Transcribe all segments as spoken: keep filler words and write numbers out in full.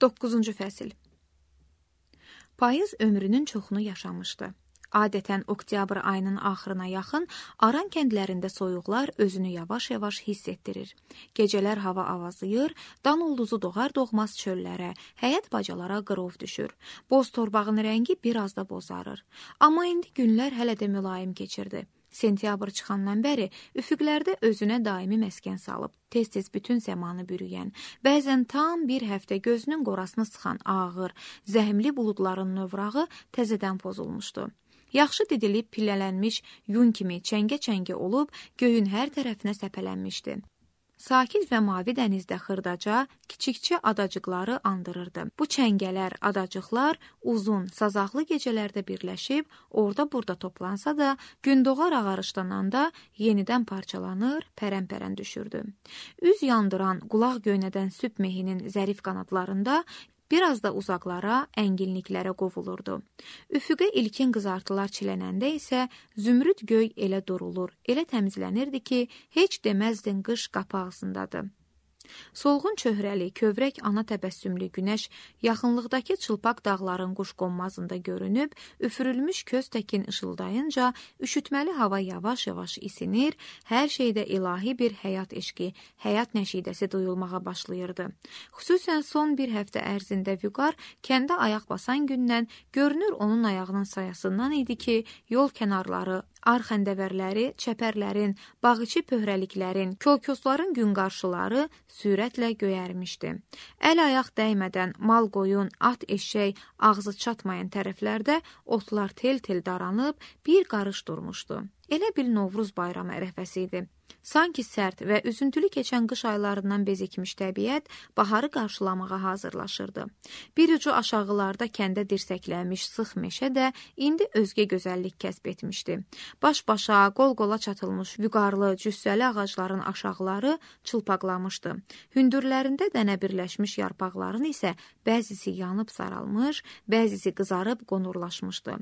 doqquzuncu fəsil. Payız ömrünün çoxunu yaşamışdı. Adətən oktyabr ayının axırına yaxın Aran kəndlərində soyuqlar özünü yavaş-yavaş hiss etdirir. Gecələr hava avazıyır, dan ulduzu doğar doğmaz çöllərə, həyət bacalara qırov düşür. Boz torbağın rəngi biraz da bozarır. Amma indi günlər hələ də mülayim keçirdi. Sentyabr çıxandan bəri üfüqlərdə özünə daimi məskən salıb, tez-tez bütün səmanı bürüyən, bəzən tam bir həftə gözünün qorasını sıxan ağır, zəhmli buludların növrağı təzədən pozulmuşdu. Yaxşı didilib pillələnmiş yun kimi çəngə-çəngə olub göyün hər tərəfinə səpələnmişdi. Sakit və mavi dənizdə xırdaca, kiçikcə adacıqları andırırdı. Bu çəngələr, adacıqlar uzun, sazaqlı gecələrdə birləşib, orada-burada toplansa da, gün doğar ağarışlananda yenidən parçalanır, pərən-pərən düşürdü. Üz yandıran, qulaq göynədən süb mehinin zərif qanadlarında biraz da uzaqlara, əngilliklərə qovulurdu. Üfüqə ilkin qızartılar çilənəndə isə zümrüd göy elə durulur, elə təmizlənirdi ki, heç deməzdin qış qapı ağzındadır. Solğun çöhrəli, kövrək ana təbəssümlü günəş yaxınlıqdakı çılpaq dağların quşqonmazında görünüb, üfürülmüş köz təkin ışıldayınca üşütməli hava yavaş-yavaş isinir, hər şeydə ilahi bir həyat eşqi, həyat nəşidəsi duyulmağa başlayırdı. Xüsusən son bir həftə ərzində Vüqar kəndə ayaq basan gündən görünür onun ayağının sayasından idi ki, yol kənarları, ar xəndəvərləri, çəpərlərin, bağıçı pöhrəliklərin, kolkosların gün qarşıları sürətlə göyərmişdi. Əl-ayaq dəymədən mal qoyun, at eşək, ağzı çatmayan tərəflərdə otlar tel-tel daranıb bir qarış durmuşdu. Elə bil Novruz bayramı ərəfəsi idi. Sanki sərt və üzüntülü keçən qış aylarından bezikmiş təbiət baharı qarşılamağa hazırlaşırdı. Bir ucu aşağılarda kəndə dirsəklənmiş sıx meşə də indi özgə gözəllik kəsb etmişdi. Baş-başa, qol-qola çatılmış vüqarlı, cüssəli ağacların aşağıları çılpaqlamışdı. Hündürlərində dənə birləşmiş yarpaqların isə bəzisi yanıb saralmış, bəzisi qızarıb qonurlaşmışdı.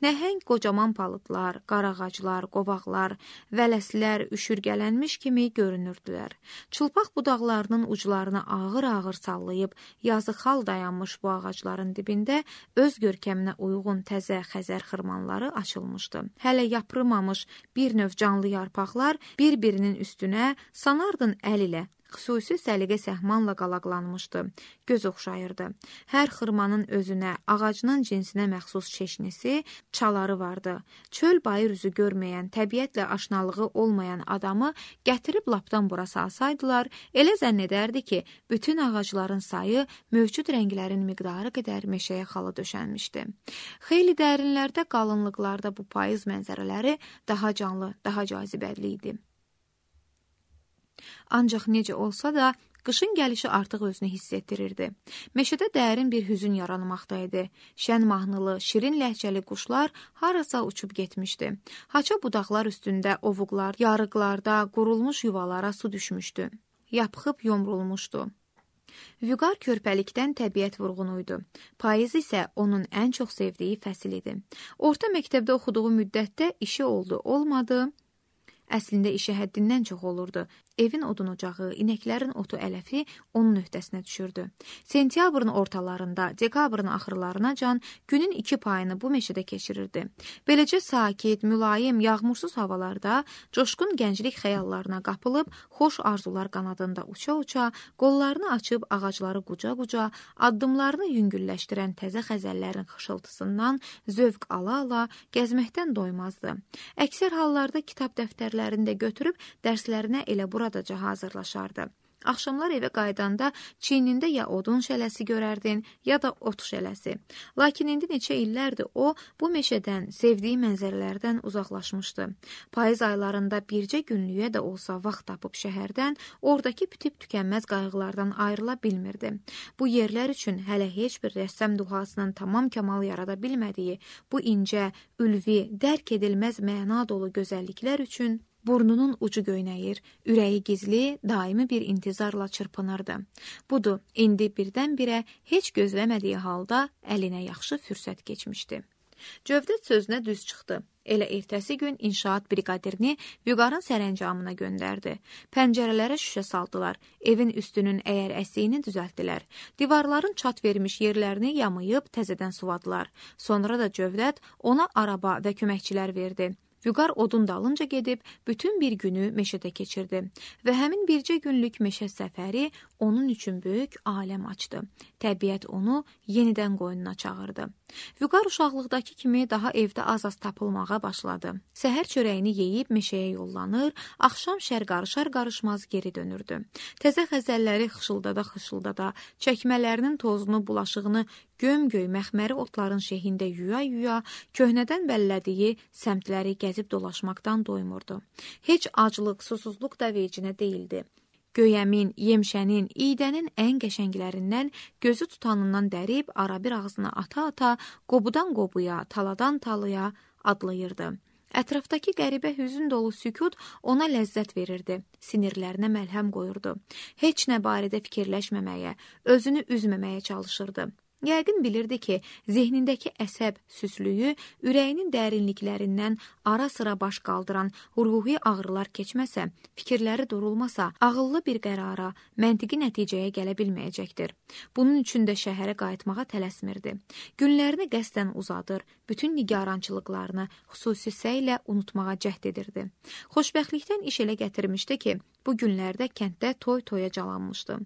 Nəhəng qocaman palıtlar, qarağaclar, qovaqlar, vələslər, üşürgələnmiş kimi görünürdülər. Çılpaq budaqlarının uclarını ağır-ağır sallayıb, yazıq hal dayanmış bu ağacların dibində öz görkəminə uyğun təzə xəzər xırmanları açılmışdı. Hələ yaprımamış bir növ canlı yarpaqlar bir-birinin üstünə sanardın əl ilə xüsusi səliqə səhmanla qalaqlanmışdı, göz oxşayırdı. Hər xırmanın özünə, ağacının cinsinə məxsus çeşnisi, çaları vardı. Çöl bayır üzü görməyən, təbiətlə aşnalığı olmayan adamı gətirib lapdan bura salsaydılar, elə zənn edərdi ki, bütün ağacların sayı mövcud rənglərin miqdarı qədər meşəyə xalı döşənmişdi. Xeyli dərinlərdə, qalınlıqlarda bu payız mənzərələri daha canlı, daha cazibədli idi. Ancaq necə olsa da, qışın gəlişi artıq özünü hiss etdirirdi. Meşədə dərin bir hüzün yaranmaqdaydı. Şən mahnılı, şirin ləhcəli quşlar harasa uçub getmişdi. Haça budaqlar üstündə ovuqlar, yarıqlarda, qurulmuş yuvalara su düşmüşdü. Yapxıb yomrulmuşdu. Vüqar körpəlikdən təbiət vurğunuydu. Payız isə onun ən çox sevdiyi fəsil idi. Orta məktəbdə oxuduğu müddətdə işi oldu, olmadı. Əslində işi həddindən çox olurdu. Evin odun ocağı, inəklərin otu ələfi onun öhdəsinə düşürdü. Sentyabrın ortalarında, dekabrın axırlarına can günün iki payını bu meşədə keçirirdi. Beləcə sakit, mülayim, yağmursuz havalarda coşqun gənclik xəyallarına qapılıb, xoş arzular qanadında uça-uça, qollarını açıb ağacları quca-quca, addımlarını yüngülləşdirən təzə xəzəllərin xışıltısından zövq ala-ala gəzməkdən doymazdı. Əksər hallarda kitab dəftərlərində götürüb dərslərinə elə buradaca hazırlaşardı. Axşamlar evə qaydanda çiynində ya odun şələsi görərdin, ya da ot şələsi. Lakin indi neçə illərdir o, bu meşədən, sevdiyi mənzərələrdən uzaqlaşmışdı. Payız aylarında bircə günlüyə də olsa vaxt tapıb şəhərdən, oradakı bitib tükənməz qayğılardan ayrıla bilmirdi. Bu yerlər üçün hələ heç bir rəssam duhasının tamam kamal yarada bilmədiyi, bu incə, ülvi, dərk edilməz məna dolu gözəlliklər üçün burnunun ucu göynəyir, ürəyi gizli, daimi bir intizarla çırpınırdı. Budur, indi birdən-birə heç gözləmədiyi halda əlinə yaxşı fürsət keçmişdi. Cövdət sözünə düz çıxdı. Elə ertəsi gün inşaat briqadirini Vüqarın sərəncamına göndərdi. Pəncərələrə şüşə saldılar, evin üstünün əyər əsiyini düzəltdilər. Divarların çat vermiş yerlərini yamayıb təzədən suvadılar. Sonra da Cövdət ona araba və köməkçilər verdi. Vüqar odun dalınca gedib bütün bir günü meşədə keçirdi və həmin bircə günlük meşə səfəri onun üçün böyük aləm açdı. Təbiət onu yenidən qoynuna çağırdı. Vüqar uşaqlıqdakı kimi daha evdə az-az tapılmağa başladı. Səhər çörəyini yeyib meşəyə yollanır, axşam şər qarışar-qarışmaz geri dönürdü. Təzə xəzəlləri xışıldada-xışıldada, çəkmələrinin tozunu, bulaşığını göm-göy məxməri otların şehində yuya-yuya, köhnədən bəllədiyi səmtləri gəzib dolaşmaqdan doymurdu. Heç aclıq, susuzluq da vecinə deyildi. Göyəmin, yemşənin, iydənin ən qəşənglərindən gözü tutanından dərib, arabir ağzına ata-ata, qobudan qobuya, taladan talıya adlayırdı. Ətrafdakı qəribə hüzün dolu sükut ona ləzzət verirdi, sinirlərinə məlhəm qoyurdu. Heç nə barədə fikirləşməməyə, özünü üzməməyə çalışırdı. Yəqin bilirdi ki, zehnindəki əsəb süslüyü, ürəyinin dərinliklərindən ara-sıra baş qaldıran ruhi ağrılar keçməsə, fikirləri durulmasa, ağıllı bir qərara, məntiqi nəticəyə gələ bilməyəcəkdir. Bunun üçün də şəhərə qayıtmağa tələsmirdi. Günlərini qəsdən uzadır, bütün nigarançılıqlarını xüsusi səylə unutmağa cəhd edirdi. Xoşbəxtlikdən iş elə gətirmişdi ki, bu günlərdə kənddə toy-toya calanmışdı.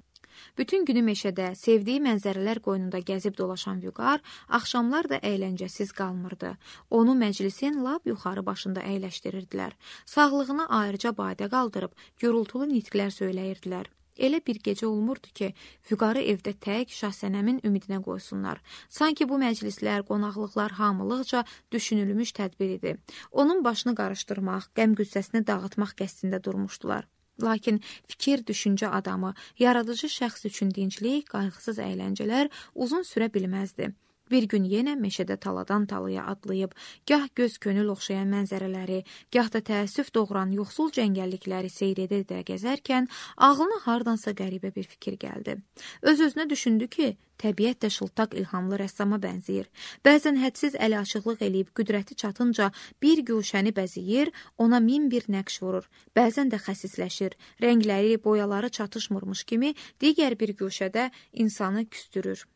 Bütün günü meşədə, sevdiyi mənzərələr qoynunda gəzib dolaşan Vüqar, axşamlar da əyləncəsiz qalmırdı. Onu məclisin lap yuxarı başında əyləşdirirdilər. Sağlığına ayrıca badə qaldırıb, gürültülü nitqlər söyləyirdilər. Elə bir gecə olmurdu ki, Vüqarı evdə tək Şahsənəmin ümidinə qoysunlar. Sanki bu məclislər, qonaqlıqlar hamılıqca düşünülmüş tədbir idi. Onun başını qarışdırmaq, qəm-qüssəsini dağıtmaq qəsdində durmuşdular. Lakin fikir, düşüncə adamı, yaradıcı şəxs üçün dinclik, qayğısız əyləncələr uzun sürə bilməzdi. Bir gün yenə meşədə taladan talaya adlayıb, gah göz könül oxşayan mənzərələri, gah da təəssüf doğuran yoxsul cəngəllikləri seyr edə-edə gəzərkən, ağlına hardansa qəribə bir fikir gəldi. Öz-özünə düşündü ki, təbiət də şıltaq ilhamlı rəssama bənzəyir. Bəzən hədsiz əli açıqlıq eləyib qüdrəti çatınca bir güşəni bəzəyir, ona min bir nəqş vurur. Bəzən də xəsisləşir, rəngləri, boyaları çatışmırmış kimi digər bir güşədə insanı küstürür.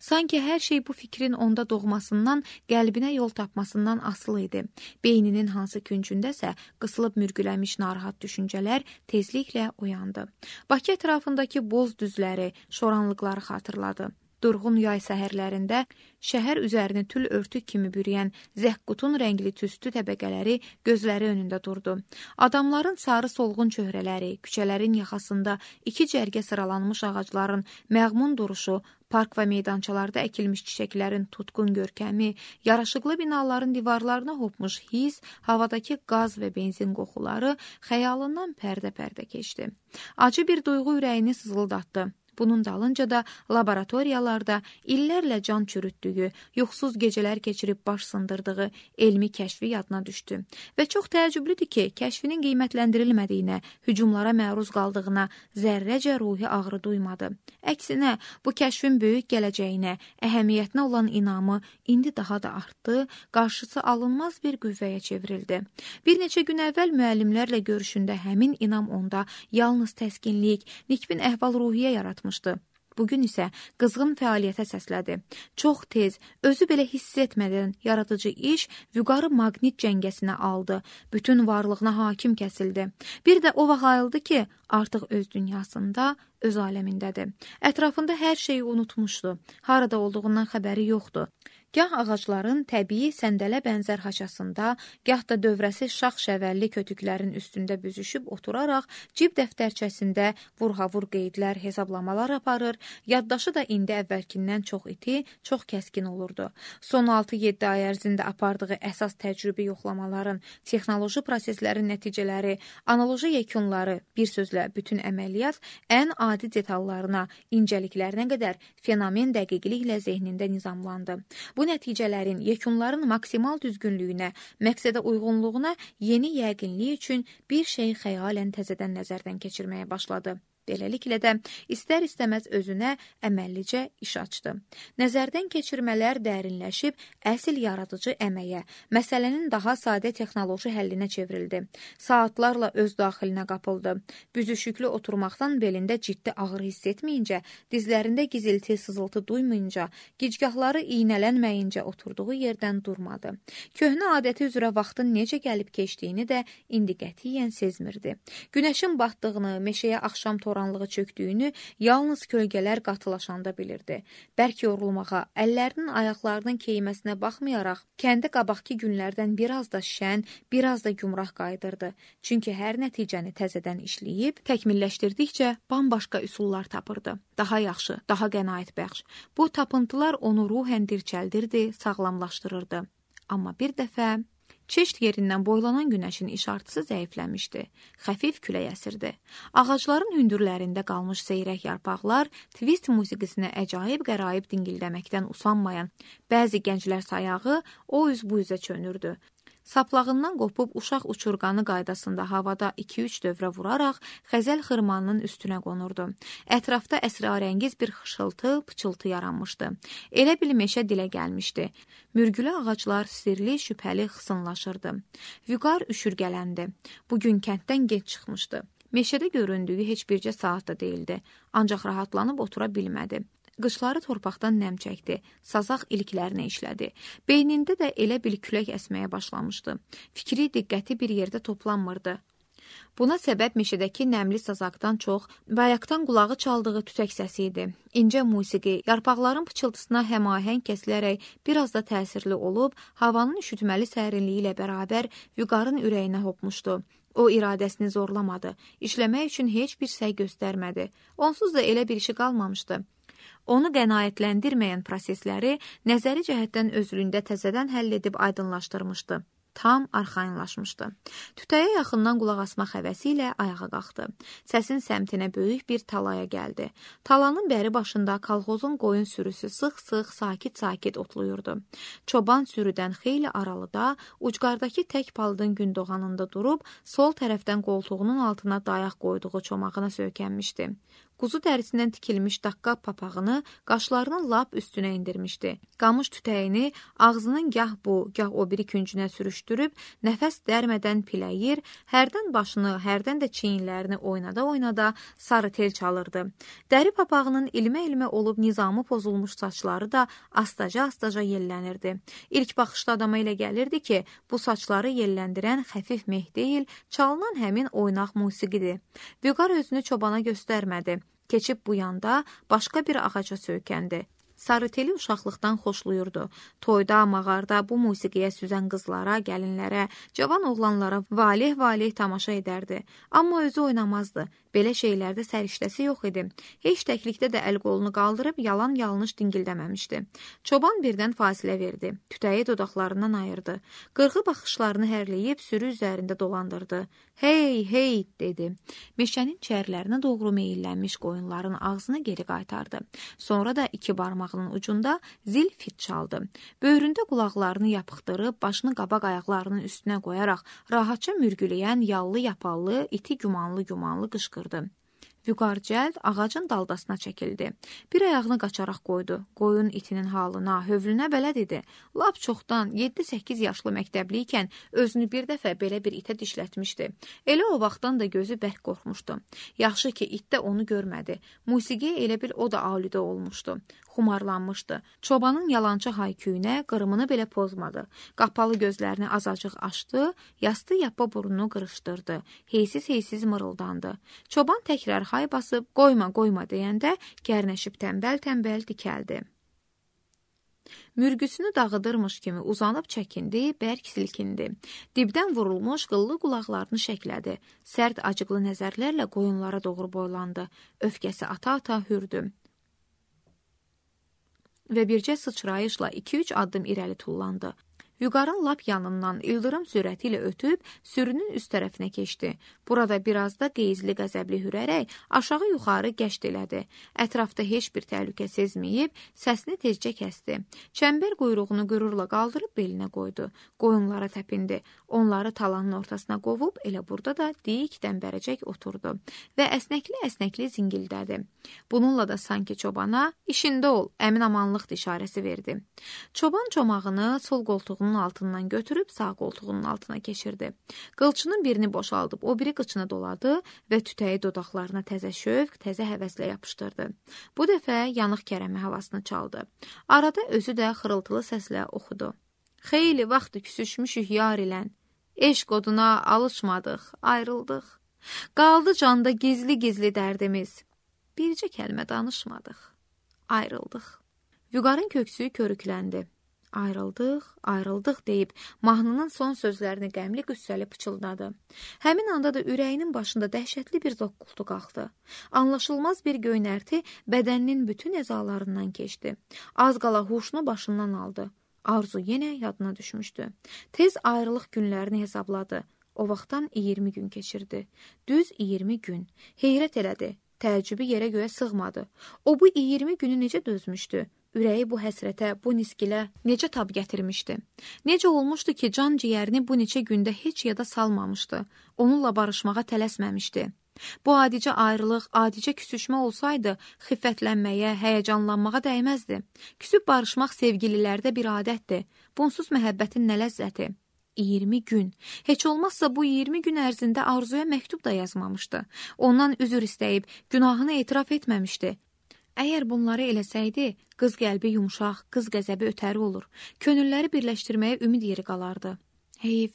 Sanki hər şey bu fikrin onda doğmasından, qəlbinə yol tapmasından asılı idi. Beyninin hansı küncündəsə qısılıb mürgüləmiş narahat düşüncələr tezliklə oyandı. Bakı ətrafındakı boz düzləri, şoranlıqları xatırladı. Durğun yay səhərlərində şəhər üzərini tül örtük kimi bürüyən zəhqutun rəngli tüstü təbəqələri gözləri önündə durdu. Adamların sarı solğun çöhrələri, küçələrin yaxasında iki cərgə sıralanmış ağacların məğmun duruşu, park və meydançalarda əkilmiş çiçəklərin tutqun görkəmi, yaraşıqlı binaların divarlarına hopmuş his, havadakı qaz və benzin qoxuları xəyalından pərdə-pərdə keçdi. Acı bir duyğu ürəyini sızıldatdı. Bunun dalınca da laboratoriyalarda illərlə can çürütdüyü, yuxusuz gecələr keçirib baş sındırdığı elmi kəşfi yadına düşdü. Və çox təəccüblüdür ki, kəşfinin qiymətləndirilmədiyinə, hücumlara məruz qaldığına zərrəcə ruhi ağrı duymadı. Əksinə, bu kəşfin böyük gələcəyinə, əhəmiyyətinə olan inamı indi daha da artdı, qarşısı alınmaz bir qüvvəyə çevrildi. Bir neçə gün əvvəl müəllimlərlə görüşündə həmin inam onda yalnız təskinlik, nikbin əhval-ruhiyyə yaratmışdı. Bugün isə qızğın fəaliyyətə səslədi. Çox tez, özü belə hiss etmədən yaradıcı iş Vüqarı maqnit cəngəsinə aldı. Bütün varlığına hakim kəsildi. Bir də o vaxt ayıldı ki, artıq öz dünyasında, öz aləmindədir. Ətrafında hər şeyi unutmuşdu. Harada olduğundan xəbəri yoxdur. Gah ağacların təbii səndələ bənzər haçasında, gah da dövrəsi şax şəvəlli kötüklərin üstündə büzüşüb oturaraq cib dəftərçəsində vurhavur qeydlər, hesablamalar aparır, yaddaşı da indi əvvəlkindən çox iti, çox kəskin olurdu. Son altı yeddi ay ərzində apardığı əsas təcrübi yoxlamaların, texnoloji proseslərin nəticələri, analoji yekunları, bir sözlə bütün əməliyyat ən adi detallarına, incəliklərinə qədər fenomen dəqiqliklə zehnində nizamlandı. Bu nəticələrin, yekunların maksimal düzgünlüyünə, məqsədə uyğunluğuna yeni yəqinlik üçün bir şey xəyalən təzədən nəzərdən keçirməyə başladı. Beləliklə də istər-istəməz özünə əməllicə iş açdı. Nəzərdən keçirmələr dərinləşib əsl yaradıcı əməyə, məsələnin daha sadə texnoloji həllinə çevrildi. Saatlarla öz daxilinə qapıldı. Büzüşüklü oturmaqdan belində ciddi ağrı hiss etməyincə, dizlərində gizilti, sızıltı duymayınca, gicgahları iynələnməyincə oturduğu yerdən durmadı. Köhnə adəti üzrə vaxtın necə gəlib keçdiyini də indi qətiyyən sezmirdi. Günəşin batdığını, meşəyə axşam toranlığı çöktüyünü yalnız kölgələr qatılaşanda bilirdi. Bərk yorulmağa, əllərinin ayaqlarının keyməsinə baxmayaraq, kəndi qabaqki günlərdən biraz da şən, biraz da gümrah qayıdırdı. Çünki hər nəticəni təzədən işləyib, təkmilləşdirdikcə bambaşqa üsullar tapırdı. Daha yaxşı, daha qənaətbəxş. Bu tapıntılar onu ruhən dirçəldirdi, sağlamlaşdırırdı. Amma bir dəfə çeşd yerindən boylanan günəşin işartısı zəifləmişdi. Xəfif külək əsirdi. Ağacların hündürlərində qalmış seyrək yarpaqlar twist musiqisinə əcaib qəraib dingildəməkdən usanmayan bəzi gənclər sayağı o üz bu üzə çönürdü. Saplağından qopub uşaq uçurqanı qaydasında havada iki-üç dövrə vuraraq xəzəl xırmanının üstünə qonurdu. Ətrafda əsrarəngiz bir xışıltı, pıçıltı yaranmışdı. Elə bil meşə dilə gəlmişdi. Mürgülü ağaclar sirli, şübhəli xısınlaşırdı. Vüqar üşürgələndi. Bugün kənddən gec çıxmışdı. Meşədə göründüyü heç bircə saatda deyildi. Ancaq rahatlanıb otura bilmədi. Qışları torpaqdan nəm çəkdi, sazaq iliklərinə işlədi. Beynində də elə bil külək əsməyə başlamışdı. Fikri, diqqəti bir yerdə toplanmırdı. Buna səbəb meşədəki nəmli sazaqdan çox bayaqdan qulağı çaldığı tütək səsi idi. İncə musiqi, yarpaqların pıçıltısına həmahəng kəsilərək biraz da təsirli olub, havanın üşütməli sərinliyi ilə bərabər Vüqarın ürəyinə hopmuşdu. O iradəsini zorlamadı, işləmək üçün heç bir səy göstərmədi. Onsuz da elə bir işi qalmamışdı. Onu qənaətləndirməyən prosesləri nəzəri cəhətdən özlüyündə təzədən həll edib aydınlaşdırmışdı. Tam arxayınlaşmışdı. Tütəyə yaxından qulaq asmaq həvəsi ilə ayağa qalxdı. Səsin səmtinə böyük bir talaya gəldi. Talanın bəri başında kolxozun qoyun sürüsü sıx-sıx, sakit-sakit otluyurdu. Çoban sürüdən xeyli aralıda, ucqardakı tək palıdın gündoğanında durub, sol tərəfdən qoltuğunun altına dayaq qoyduğu çomağına söykənmişdi. Quzu dərisindən tikilmiş daqqa papağını qaşlarının lap üstünə indirmişdi. Qamış tütəyini ağzının gah bu, gah o biri küncünə sürüşdürüb, nəfəs dərmədən piləyir, hərdən başını, hərdən də çiyinlərini oynada-oynada sarı tel çalırdı. Dəri papağının ilmə-ilmə olub nizamı pozulmuş saçları da astaca-astaca yellənirdi. İlk baxışda adama elə gəlirdi ki, bu saçları yelləndirən xəfif meh deyil, çalınan həmin oynaq musiqidir. Vüqar özünü çobana göstərmədi. Keçib bu yanda başqa bir ağaca söykəndi. Sarıteli uşaqlıqdan xoşluyurdu. Toyda, mağarda bu musiqiyə süzən qızlara, gəlinlərə, cavan oğlanlara valeh-valeh tamaşa edərdi. Amma özü oynamazdı. Belə şeylərdə səriştəsi yox idi. Heç təklikdə də əl qolunu qaldırıb yalan-yanlış dingildəməmişdi. Çoban birdən fasilə verdi. Tütəyi dodaqlarından ayırdı. Qırğı baxışlarını hərləyib sürü üzərində dolandırdı. Hey, hey, dedi. Meşənin çərlərinə doğru meyillənmiş qoyunların ağzını geri qaytardı. Sonra da iki barmağının ucunda zil fit çaldı. Böyründə qulaqlarını yapıqdırıb, başını qabaq ayaqlarının üstünə qoyaraq, rahatça mürgüləyən yallı yapallı, iti gümanlı-gümanlı qışqırdı. Vüqar cəld ağacın daldasına çəkildi. Bir ayağını qaçaraq qoydu. Qoyun itinin halına, hövlünə bələd idi. Lap çoxdan yeddi-səkkiz yaşlı məktəbli ikən özünü bir dəfə belə bir itə dişlətmişdi. Elə o vaxtdan da gözü bərk qorxmuşdu. Yaxşı ki, it də onu görmədi. Musiqiyə elə bil o da aludə olmuşdu. Xumarlanmışdı. Çobanın yalançı hayküyünə qırımını belə pozmadı. Qapalı gözlərini azacıq açdı, yastı yappa burnunu qırışdırdı. Heysiz-heysiz mırıldandı. Çoban təkrar hay basıb, qoyma, qoyma deyəndə gərnəşib tənbəl-tənbəl dikəldi. Mürgüsünü dağıdırmış kimi uzanıb çəkindi, bərk silkindi. Dibdən vurulmuş qıllı qulaqlarını şəklədi. Sərt acıqlı nəzərlərlə qoyunlara doğru boylandı. Öfkəsi ata-ata hürdü. Və bircə sıçrayışla iki-üç addım irəli tullandı. Vüqarın lap yanından ildırım sürəti ilə ötüb sürünün üst tərəfinə keçdi. Burada biraz da qeyzli qəzəbli hürərək aşağı yuxarı gəşt elədi. Ətrafda heç bir təhlükə sezməyib, səsini tezcə kəsdi. Çəmbər quyruğunu qürurla qaldırıb belinə qoydu. Qoyunlara təpindi. Onları talanın ortasına qovub elə burada da dik dəmbərəcək oturdu və əsnəkli-əsnəkli zingildədi. Bununla da sanki çobana işində ol, əmin amanlıq işarəsi verdi. Çoban çomağını sol qoltuğunun altından götürüb sağ qoltuğunun altına keçirdi. Qılçının birini boşaldıb o biri qıçına doladı və tütəyi dodaqlarına təzə şövq, təzə həvəslə yapışdırdı. Bu dəfə yanıq kərəmi havasını çaldı. Arada özü də xırıltılı səslə oxudu. Xeyli vaxt küsüşmüşük yar ilən, eşq oduna alışmadıq, ayrıldıq. Qaldı canda gizli-gizli dərdimiz, bircə kəlmə danışmadıq, ayrıldıq. Vüqarın köksü körükləndi. Ayrıldıq, ayrıldıq deyib mahnının son sözlərini qəmli qüssəli pıçıldadı. Həmin anda da ürəyinin başında dəhşətli bir zoqqultu qalxdı. Anlaşılmaz bir göynərti bədəninin bütün əzalarından keçdi. Az qala huşunu başından aldı. Arzu yenə yadına düşmüşdü. Tez ayrılıq günlərini hesabladı. O vaxtdan iyirmi gün keçirdi. Düz iyirmi gün. Heyrət elədi. Təəccübü yerə göyə sığmadı. O bu iyirmi günü necə dözmüşdü? Ürəyi bu həsrətə, bu niskilə necə tab gətirmişdi? Necə olmuşdu ki, can ciyərini bu neçə gündə heç yada salmamışdı? Onunla barışmağa tələsməmişdi. Bu adicə ayrılıq, adicə küsüşmə olsaydı, xiffətlənməyə, həyəcanlanmağa dəyməzdi. Küsüb barışmaq sevgililərdə bir adətdir. Bunsuz məhəbbətin nə ləzzəti? iyirmi gün. Heç olmazsa bu iyirmi gün ərzində Arzuya məktub da yazmamışdı. Ondan üzr istəyib, günahını etiraf etməmişdi. Əgər bunları eləsəydi, qız qəlbi yumşaq, qız qəzəbi ötəri olur. Könülləri birləşdirməyə ümid yeri qalardı. Heyf.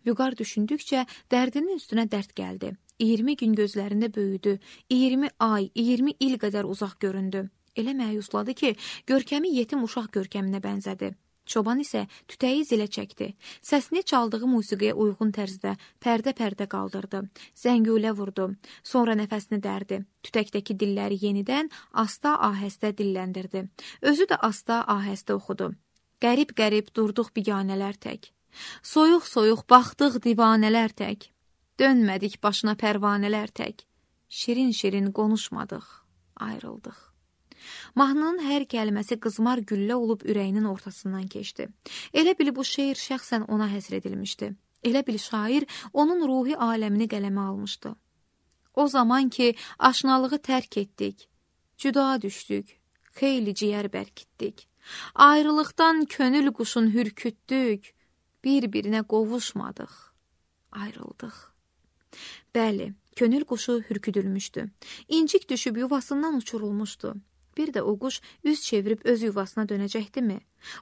Vüqar düşündükcə dərdinin üstünə dərd gəldi. iyirmi gün gözlərində böyüdü. iyirmi ay, iyirmi il qədər uzaq göründü. Elə məyusladı ki, görkəmi yetim uşaq görkəminə bənzədi. Çoban isə tütəyi zilə çəkdi. Səsini çaldığı musiqiyə uyğun tərzdə pərdə-pərdə qaldırdı. Zəngulə vurdu. Sonra nəfəsini dərdi. Tütəkdəki dilləri yenidən asta ahəstə dilləndirdi. Özü də asta ahəstə oxudu. Qərib-qərib durduq biganələr tək. Soyuq-soyuq baxdıq divanələr tək. Dönmədik başına pərvanələr tək. Şirin-şirin konuşmadıq, ayrıldıq. Mahnının hər kəlməsi qızmar güllə olub ürəyinin ortasından keçdi. Elə bil bu şeir şəxsən ona həsr edilmişdi. Elə bil şair onun ruhi aləmini qələmə almışdı. O zaman ki, aşnalığı tərk etdik, cüda düşdük, xeyli ciyər bərkitdik. Ayrılıqdan könül quşun hürkütdük, bir-birinə qovuşmadıq, ayrıldıq. Bəli, könül quşu hürküdülmüşdü. İncik düşüb yuvasından uçurulmuşdu. Bir də o quş üz çevirib öz yuvasına dönəcəkdimi?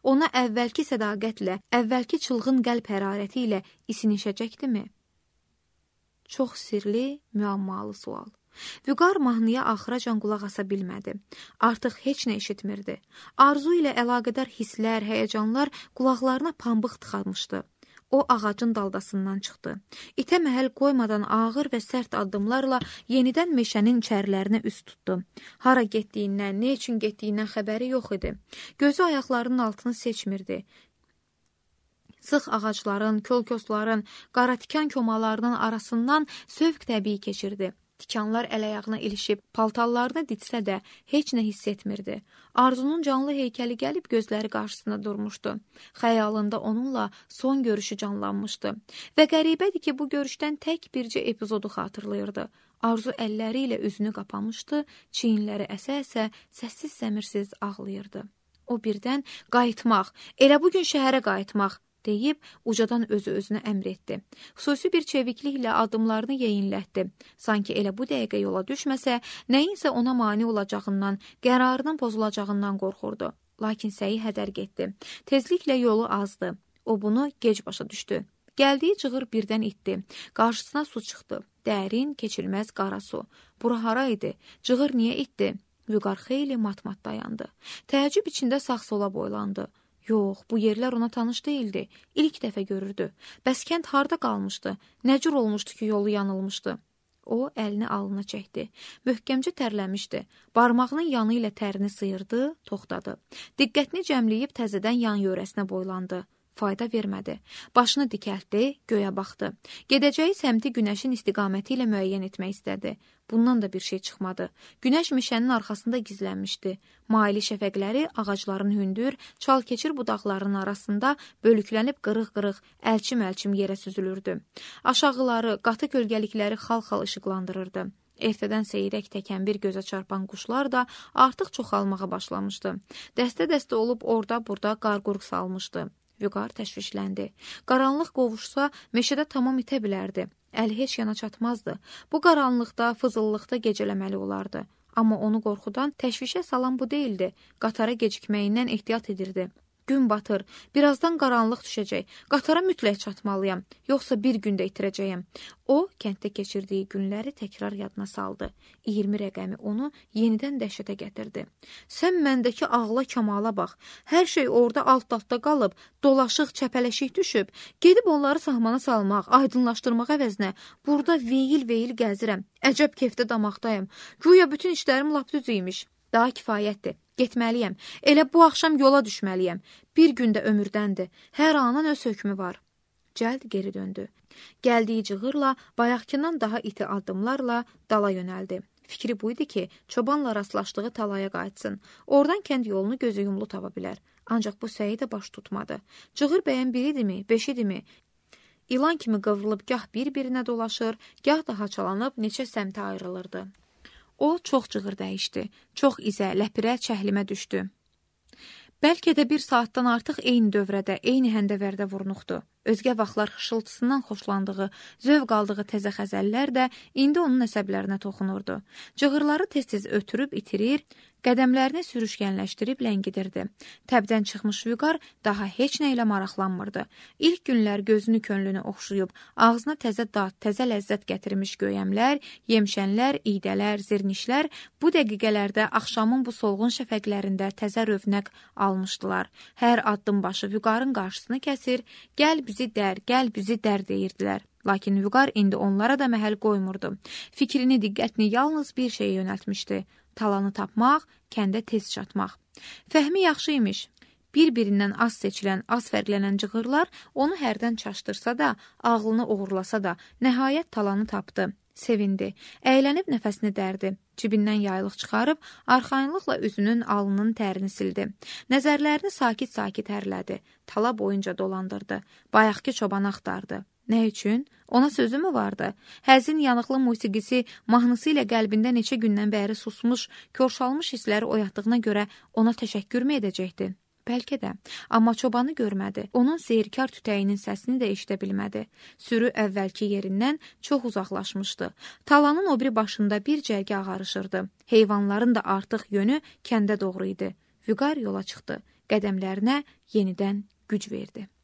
Ona əvvəlki sədaqətlə, əvvəlki çılğın qəlb hərarəti ilə isinişəcəkdimi? Çox sirli, müəmmalı sual. Vüqar mahnıya axıracan qulaq asa bilmədi. Artıq heç nə eşitmirdi. Arzu ilə əlaqədar hisslər, həyəcanlar qulaqlarına pambıq tıxamışdı. O ağacın daldasından çıxdı. İtə məhəl qoymadan ağır və sərt addımlarla yenidən meşənin içərilərinə üz tutdu. Hara getdiyindən, nə üçün getdiyindən xəbəri yox idi. Gözü ayaqlarının altını seçmirdi. Sıx ağacların, kölkosların, qaratikan komalarının arasından sövq təbii keçirdi. Tikanlar əl-ayağına ilişib, paltallarını ditsə də heç nə hiss etmirdi. Arzunun canlı heykəli gəlib gözləri qarşısında durmuşdu. Xəyalında onunla son görüşü canlanmışdı. Və qəribədir ki, bu görüşdən tək bircə epizodu xatırlayırdı. Arzu əlləri ilə üzünü qapamışdı, çiyinləri əsə-əsə, səssiz-səmirsiz ağlayırdı. O birdən qayıtmaq, elə bugün şəhərə qayıtmaq deyib ucadan özü-özünə əmr etdi. Xüsusi bir çevikliklə addımlarını yeyinlətdi. Sanki elə bu dəqiqə yola düşməsə, nəyinsə ona mane olacağından, qərarının pozulacağından qorxurdu. Lakin səyi hədər getdi. Tezliklə yolu azdı. O bunu gec başa düşdü. Gəldiyi cığır birdən itdi. Qarşısına su çıxdı. Dərin, keçilməz qara su. Bura hara idi? Cığır niyə itdi? Vüqar xeyli mat-mat dayandı. Təəccüb içində sağ-sola boylandı. Yox, bu yerlər ona tanış deyildi. İlk dəfə görürdü. Bəs kənd harda qalmışdı? Nə cür olmuşdu ki, yolu yanılmışdı? O, əlini alnına çəkdi. Möhkəmcə tərləmişdi. Barmağının yanı ilə tərini sıyırdı, toxtadı. Diqqətini cəmləyib təzədən yan yörəsinə boylandı. Fayda vermədi. Başını dikəltdi, göyə baxdı. Gedəcəyi səmti günəşin istiqaməti ilə müəyyən etmək istədi. Bundan da bir şey çıxmadı. Günəş meşənin arxasında gizlənmişdi. Maili şəfəqləri ağacların hündür, çal-keçir budaqlarının arasında bölüklənib qırıq-qırıq, əlçim-əlçim yerə süzülürdü. Aşağıları, qatı kölgəlikləri xal-xal işıqlandırırdı. Ertədən seyrək təkən bir gözə çarpan quşlar da artıq çoxalmağa başlamışdı. Dəstə-dəstə olub orada-burada qarqurq salmışdı. Vüqar təşvişləndi. Qaranlıq qovuşsa, meşədə tamam itə bilərdi. Əli heç yana çatmazdı. Bu qaranlıqda, fızıllıqda gecələməli olardı. Amma onu qorxudan təşvişə salan bu deyildi. Qatara gecikməyindən ehtiyat edirdi. Gün batır, birazdan qaranlıq düşəcək. Qatara mütləq çatmalıyam, yoxsa bir gündə itirəcəyəm. O, kənddə keçirdiyi günləri təkrar yadına saldı. iyirmi rəqəmi onu yenidən dəhşətə gətirdi. Sən məndəki ağla kamala bax. Hər şey orada alt-altda qalıb, dolaşıq, çəpələşik düşüb. Gedib onları sahmana salmaq, aydınlaşdırmaq əvəzinə burada veyil-veyil gəzirəm. Əcəb kefdə damaqdayım. Güya bütün işlərim lap düz imiş. Daha kifayətdir. Getməliyəm. Elə bu axşam yola düşməliyəm. Bir gündə ömürdəndir. Hər anın öz hökmü var. Cəld geri döndü. Gəldiyi cığırla, bayaqkindən daha iti addımlarla dala yönəldi. Fikri buydu ki, çobanla rastlaşdığı talaya qayıtsın. Oradan kənd yolunu gözü yumlu tapa bilər. Ancaq bu səyi də baş tutmadı. Cığır bəyən biridirmi, beşidirmi? İlan kimi qıvrılıb gah bir-birinə dolaşır, gah da haçalanıb neçə səmtə ayrılırdı. O, çox cığır dəyişdi. Çox izə, ləpirə, çəhlimə düşdü. Bəlkə də bir saatdan artıq eyni dövrədə, eyni həndəvərdə vurnuxdu. Özgə vaxtlar xışıltısından xoşlandığı, zövq aldığı təzə xəzəllər də indi onun əsəblərinə toxunurdu. Cığırları tez-tez ötürüb itirir, qədəmlərini sürüşkənləşdirib ləngidirdi. Təbdən çıxmış Vüqar daha heç nə ilə maraqlanmırdı. İlk günlər gözünü könlünü oxşuyub, ağzına təzə dad, təzə ləzzət gətirmiş göyəmlər, yemşənlər, iydələr, zirnişlər bu dəqiqələrdə axşamın bu solğun şəfəqlərində təzə rövnəq almışdılar. Hər addım başı Vüqarın qarşısını kəsir, gəl bizi dər, gəl bizi dər deyirdilər. Lakin Vüqar indi onlara da məhəl qoymurdu. Fikrini, diqqətini yalnız bir şeyə yönəltmişdi. Talanı tapmaq, kəndə tez çatmaq. Fəhmi yaxşı imiş. Bir-birindən az seçilən, az fərqlənən cığırlar onu hərdən çaşdırsa da, ağlını uğurlasa da, nəhayət talanı tapdı. Sevindi. Əylənib nəfəsini dərdi. Cibindən yaylıq çıxarıb, arxayınlıqla üzünün alnının tərini sildi. Nəzərlərini sakit-sakit hərlədi. Tala boyunca dolandırdı. Bayaqki çobanı axtardı. Nə üçün? Ona sözü mü vardı? Həzin yanıqlı musiqisi mahnısı ilə qəlbində neçə gündən bəri susmuş, körşalmış hissləri oyatdığına görə ona təşəkkür mü edəcəkdi? Bəlkə də, amma çobanı görmədi. Onun seyrkar tütəyinin səsini də eşidə bilmədi. Sürü əvvəlki yerindən çox uzaqlaşmışdı. Talanın o biri başında bir cərgə ağarışırdı. Heyvanların da artıq yönü kəndə doğru idi. Vüqar yola çıxdı. Qədəmlərinə yenidən güc verdi.